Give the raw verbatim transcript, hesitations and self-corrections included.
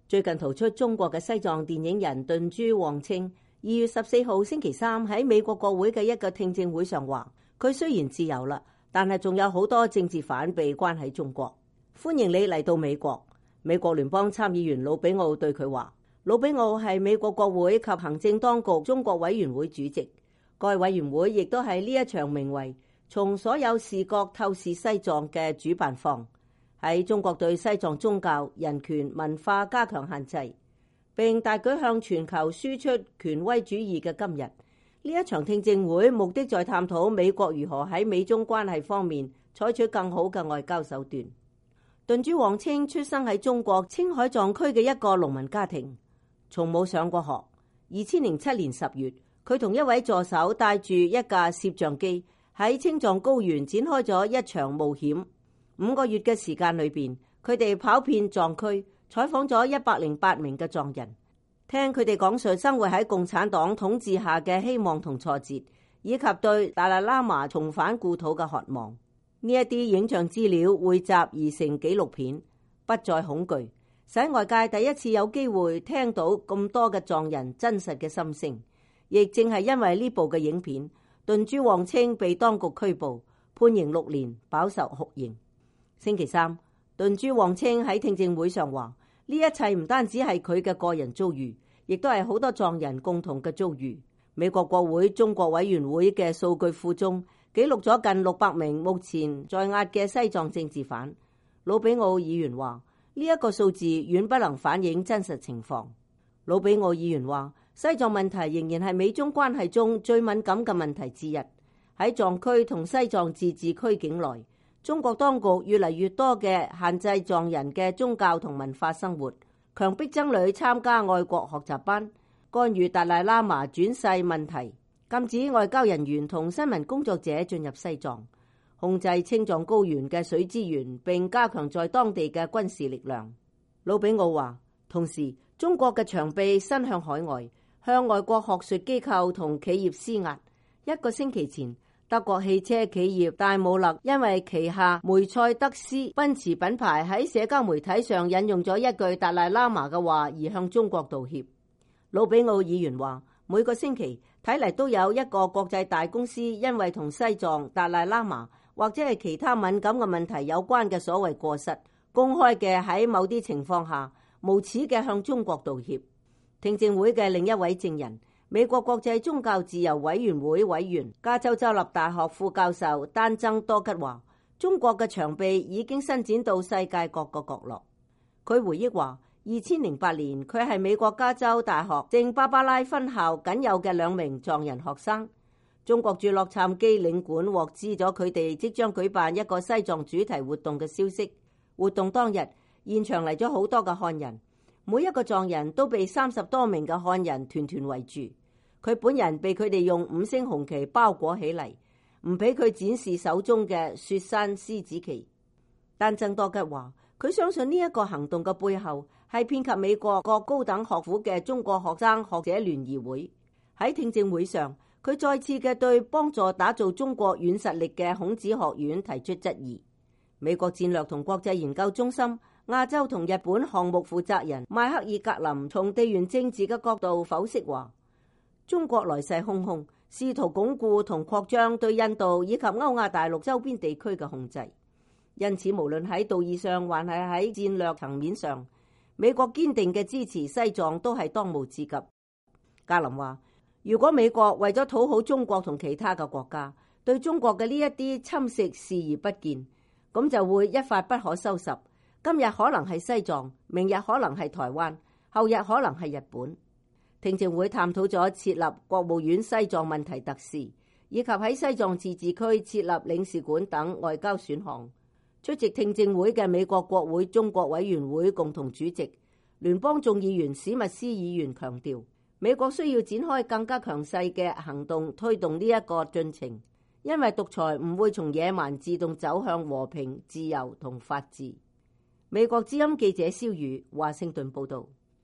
最近逃出中國嘅西藏電影人頓珠旺清，二月十四號星期三喺美國國會嘅一個聽證會上話，佢雖然自由啦，但係仲有好多政治犯被關喺中國。歡迎你嚟到美國。美國聯邦參議員魯比奧對佢話，魯比奧係美國國會及行政當局中國委員會主席，該委員會亦都係呢一場名為從所有視角透視西藏嘅主辦方。喺中國對西藏宗教、人權、文化加強限制，並大舉向全球輸出權威主義嘅今日，呢一場聽證會目的在探討美國如何喺美中關係方面採取更好嘅外交手段。頓珠旺清出生喺中國青海藏區嘅一個農民家庭，從冇上過學。二千零七年十月，佢同一位助手帶住一架攝像機喺青藏高原展開咗一場冒險。五個月嘅時間裏邊，佢哋跑遍藏區，採訪咗一百零八名嘅藏人，聽佢哋講述生活喺共產黨統治下嘅希望同挫折，以及對達賴喇嘛重返故土嘅渴望。呢一啲影像資料匯集而成紀錄片，不再恐懼，使外界第一次有機會聽到咁多嘅藏人真實嘅心聲。亦正係因為呢部嘅影片，頓珠旺清被當局拘捕，判刑六年，飽受酷刑。星期三，頓珠旺清喺聽證會上話，呢一切唔單止係佢嘅個人遭遇，亦都係好多藏人共同嘅遭遇。美國國會中國委員會嘅數據庫中記錄咗近六百名目前在押嘅西藏政治犯。魯比奧議員話，呢一個數字遠不能反映真實情況。魯比奧議員話，西藏問題仍然係美中關係中最敏感嘅問題之一。喺藏區同西藏自治區境內，中國當局越嚟越多嘅限制藏人嘅宗教同文化生活，強迫僧侶參加愛國學習班，干預達賴喇嘛轉世問題，禁止外交人員同新聞工作者進入西藏，控制青藏高原嘅水資源，並加強在當地嘅軍事力量。魯比奧話，同時中國嘅長臂伸向海外，向外國學術機構同企業施壓。一個星期前，德國汽車企業戴姆勒因為旗下梅賽德斯奔馳品牌喺社交媒體上引用咗一句達賴喇嘛嘅話而向中國道歉。魯比奧議員話，每個星期睇嚟都有一個國際大公司因為同西藏、達賴喇嘛或者係其他敏感嘅問題有關嘅所謂過失，公開嘅喺某啲情況下無恥嘅向中國道歉。聽證會嘅另一位證人，美國國際宗教自由委員會委員、加州州立大學副教授丹增多吉話，中國嘅長臂已經伸展到世界各個角落。佢回憶話，二千零八年佢係美國加州大學聖巴巴拉分校僅有嘅兩名藏人學生。中國駐洛杉磯領館獲知咗佢哋即將舉辦一個西藏主題活動嘅消息。活動當日，現場嚟咗好多嘅漢人。每一個藏人都被三十多名嘅漢人團團圍住，佢本人被佢哋用五星紅旗包裹起嚟，唔俾佢展示手中嘅雪山獅子旗。但曾多吉話，佢相信呢一個行動嘅背後係遍及美國各高等學府嘅中國學生學者聯誼會。喺聽證會上，佢再次嘅對幫助打造中國軟實力嘅孔子學院提出質疑。美國戰略同國際研究中心亞洲同日本項目負責人邁克爾格林從地緣政治嘅角度剖析話，中國來勢洶洶，試圖鞏固同擴張對印度以及歐亞大陸周邊地區嘅控制。因此，無論喺道義上還係喺戰略層面上，美國堅定嘅支持西藏都係當務之急。格林話，如果美國為咗討好中國同其他嘅國家，對中國嘅呢一啲侵蝕視而不見，咁就會一發不可收拾。今日可能係西藏，明日可能係台灣，後日可能係日本。聽證會探討咗設立國務院西藏問題特使，以及喺西藏自治區設立領事館等外交選項。出席聽證會嘅美國國會中國委員會共同主席、聯邦眾議員史密斯議員強調，美國需要展開更加強勢嘅行動推動呢一個進程，因為獨裁唔會從野蠻自動走向和平、自由同法治。美國之音記者蕭宇華盛頓報道。